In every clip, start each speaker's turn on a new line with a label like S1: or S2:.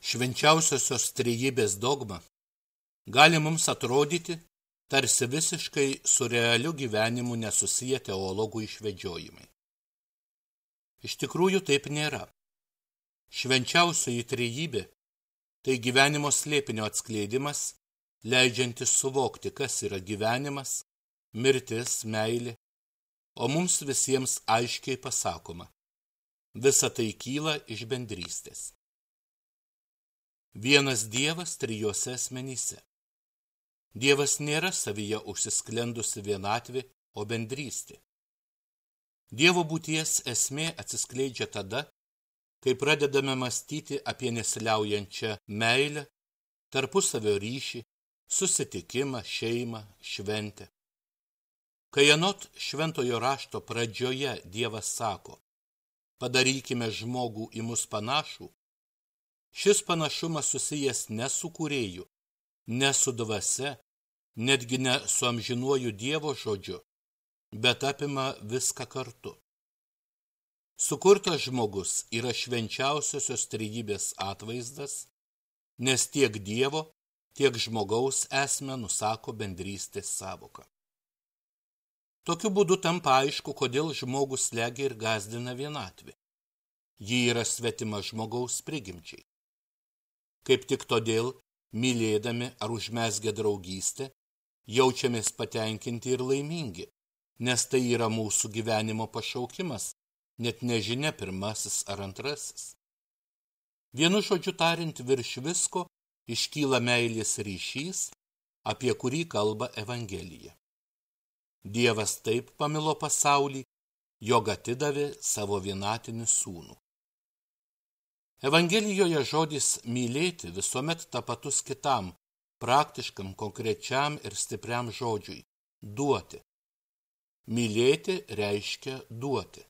S1: Švenčiausiosios trejybės dogma gali mums atrodyti tarsi visiškai su realiu gyvenimu nesusiję teologų išvedžiojimai. Iš tikrųjų taip nėra. Švenčiausioji trejybė tai gyvenimo slėpinio atskleidimas, leidžiantis suvokti, kas yra gyvenimas, mirtis, meilė, o mums visiems aiškiai pasakoma, visa tai kyla iš bendrystės. Vienas Dievas trijose asmenyse. Dievas nėra savyje užsisklendusi vienatvė, o bendrystė. Dievo būties esmė atsiskleidžia tada, kai pradedame mąstyti apie nesiliaujančią meilę, tarpusavio ryšį, susitikimą, šeimą, šventę. Kai anot šventojo rašto pradžioje Dievas sako, padarykime žmogų į mus panašų, šis panašumas susijęs ne su kūrėju, ne su dvasia, netgi ne su amžinuoju Dievo žodžiu, bet apima viską kartu. Sukurtas žmogus yra švenčiausiosios trejybės atvaizdas, nes tiek Dievo, tiek žmogaus esmę nusako bendrystės sąvoka. Tokiu būdu tampa aišku, kodėl žmogus slegia ir gąsdina vienatvė. Ji yra svetima žmogaus prigimčiai. Kaip tik todėl, mylėdami ar užmezgę draugystę, jaučiamės patenkinti ir laimingi, nes tai yra mūsų gyvenimo pašaukimas, net nežinia pirmasis ar antrasis. Vienu žodžiu tariant, virš visko iškyla meilės ryšys, apie kurį kalba Evangelija. Dievas taip pamilo pasaulį, jog atidavė savo vienatinį sūnų. Evangelijoje žodis mylėti visuomet tapatus kitam, praktiškam, konkrečiam ir stipriam žodžiui – duoti. Mylėti reiškia duoti.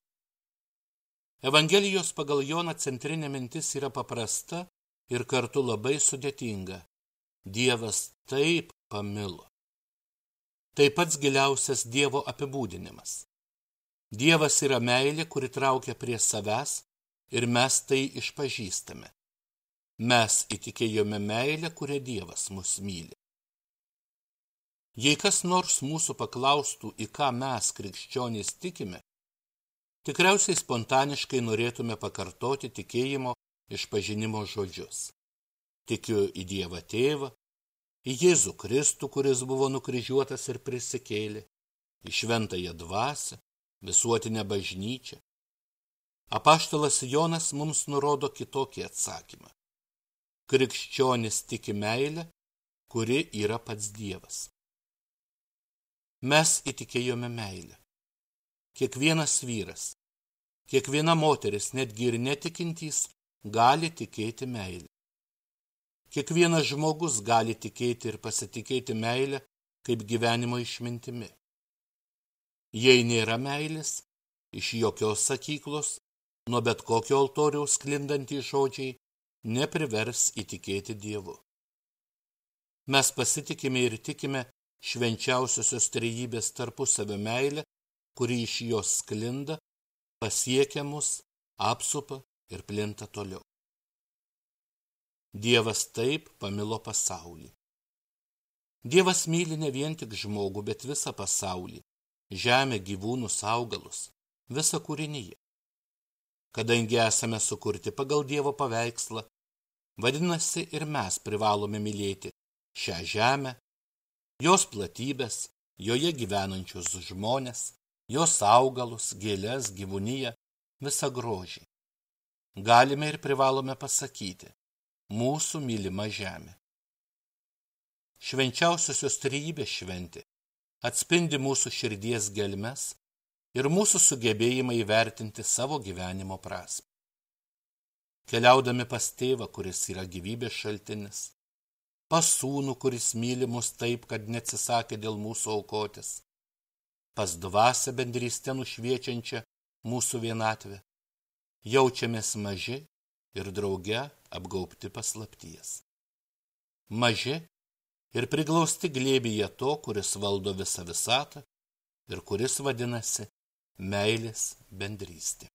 S1: Evangelijos pagal Joną centrinė mintis yra paprasta ir kartu labai sudėtinga. Dievas taip pamilo. Tai pats giliausias Dievo apibūdinimas. Dievas yra meilė, kuri traukia prie savęs, ir mes tai išpažįstame. Mes įtikėjome meilę, kurią Dievas mus myli. Jei kas nors mūsų paklaustų, į ką mes, krikščionys, tikime, tikriausiai spontaniškai norėtume pakartoti tikėjimo išpažinimo žodžius. Tikiu į Dievą Tėvą, į Jėzų Kristų, kuris buvo nukryžiuotas ir prisikėlė, į šventąją dvasią, visuotinę bažnyčią. Apaštalas Jonas mums nurodo kitokį atsakymą. Krikščionis tiki meilę, kuri yra pats Dievas. Mes įtikėjome meilę. Kiekvienas vyras, kiekviena moteris, netgi ir netikintys, gali tikėti meilę. Kiekvienas žmogus gali tikėti ir pasitikėti meilę kaip gyvenimo išmintimi. Jei nėra meilės, iš jokios sakyklos, nuo bet kokio altoriaus sklindantys žodžiai neprivers įtikėti Dievu. Mes pasitikime ir tikime švenčiausiosios trejybės tarpusavio meilę, kuri iš jos sklinda, pasiekia mus, apsupa ir plinta toliau. Dievas taip pamilo pasaulį. Dievas myli ne vien tik žmogų, bet visą pasaulį, žemę, gyvūnus, augalus, visą kūriniją. Kadangi esame sukurti pagal Dievo paveikslą, vadinasi ir mes privalome mylėti šią žemę, jos platybės, joje gyvenančius žmones, jos augalus, gėles, gyvūniją, visą grožį. Galime ir privalome pasakyti, mūsų mylima žemė. Švenčiausiosios trejybės šventė atspindi mūsų širdies gelmes ir mūsų sugebėjimą įvertinti savo gyvenimo prasmę. Keliaudami pas Tėvą, kuris yra gyvybės šaltinis, pas Sūnų, kuris myli mus taip, kad neatsisakė dėl mūsų aukotis, pas Dvasią bendrystę nušviečiančią mūsų vienatvę, jaučiamės maži ir drauge apgaubti paslapties. Maži ir priglausti glėbyje to, kuris valdo visą visatą ir kuris vadinasi meilės bendrystė.